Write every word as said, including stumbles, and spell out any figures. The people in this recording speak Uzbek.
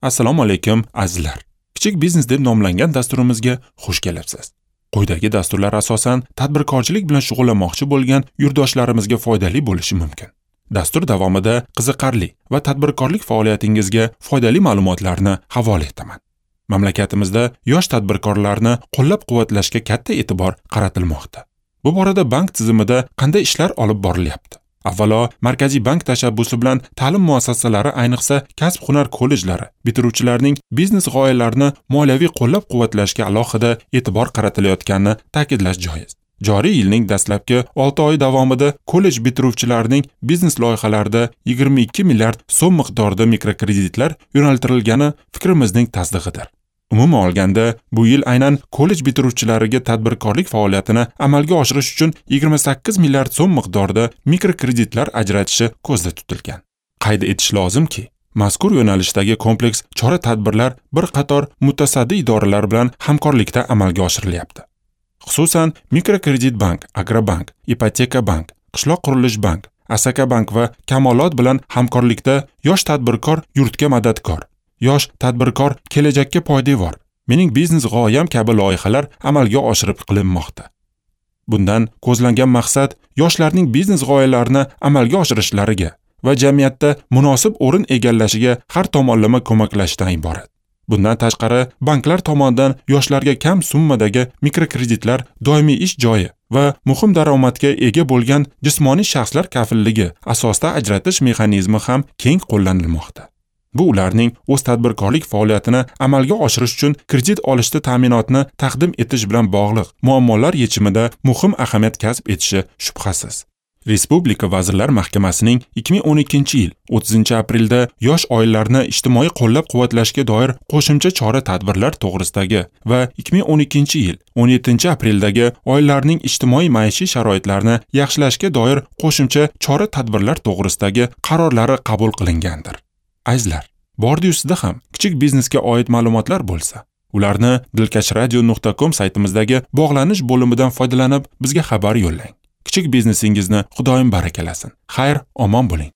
Assalomu alaykum azizlar. Kichik biznes deb nomlangan dasturimizga xush kelibsiz. Quyidagi dasturlar asosan tadbirkorchilik bilan shug'ullanmoqchi bo'lgan yurtdoshlarimizga foydali bo'lishi mumkin. Dastur davomida qiziqarli va tadbirkorlik faoliyatingizga foydali ma'lumotlarni havola etaman. Mamlakatimizda yosh tadbirkorlarni qo'llab-quvvatlashga katta e'tibor qaratilmoqda. Bu borada bank tizimida qanday ishlar olib borilyapti? Avvalo, Markaziy bank tashabbusi bilan ta'lim muassasalari, ayniqsa kasb-hunar kollejlari bitiruvchilarning biznes g'oyalarini moliyaviy qo'llab-quvvatlashga alohida e'tibor qaratilayotganini ta'kidlash joiz. Joriy yilning dastlabki olti oyi davomida kollej bitiruvchilarining biznes loyihalarida yigirma ikki milliard so'm miqdorida mikrokreditlar yo'naltirilgani fikrimizning tasdig'idir. Umuman olganda, bu yil aynan kollej bitiruvchilariga tadbirkorlik faoliyatini amalga oshirish uchun yigirma sakkiz milliard so'm miqdorida mikrokreditlar ajratishi ko'zda tutilgan. Qayd etish lozimki, mazkur yo'nalishdagi kompleks chora-tadbirlar bir qator mutasaddi idoralar bilan hamkorlikda amalga oshirilyapti. Xususan, Mikrokredit bank, Agrobank, Ipoteka bank, Qishloq qurilish bank, Asaka bank va Kamolot bilan hamkorlikda yosh tadbirkor yurtga madadkor, yosh tadbirkor kelajakka poydevor, mening biznes g'oyam kabi loyihalar amalga oshirib qilinmoqda. Bundan ko'zlangan maqsad yoshlarning biznes g'oyalarini amalga oshirishlariga va jamiyatda munosib o'rin egallashiga har tomonlama ko'maklashdan iborat. Bundan tashqari, banklar tomonidan yoshlarga kam summadagi mikrokreditlar doimiy ish joyi va muhim daromadga ega bo'lgan jismoniy shaxslar kafilligi asosida ajratish mexanizmi ham keng qo'llanilmoqda. Bu ularning o'z tadbirkorlik faoliyatini amalga oshirish uchun kredit olishda ta'minotni taqdim etish bilan bog'liq muammolar yechimida muhim ahamiyat kasb etishi shubhasiz. Respublika Vazirlar Mahkamasining ikki ming o'n ikkinchi yil o'ttizinchi aprelda yosh oilalarni ijtimoiy qo'llab-quvvatlashga doir qo'shimcha chora-tadbirlar to'g'risidagi va ikki ming o'n ikkinchi yil o'n yettinchi apreldagi oilalarning ijtimoiy maishiy sharoitlarini yaxshilashga doir qo'shimcha chora-tadbirlar to'g'risidagi qarorlari qabul qilingandir. Azizlar, bordi-yu sizda ham kichik biznesga oid ma'lumotlar bo'lsa, ularni dilkashradio nuqta com saytimizdagi bog'lanish bo'limidan foydalanib bizga xabar yo'llang. Kichik biznesingizni Xudoyim barakalasin. Xayr, omon bo'ling.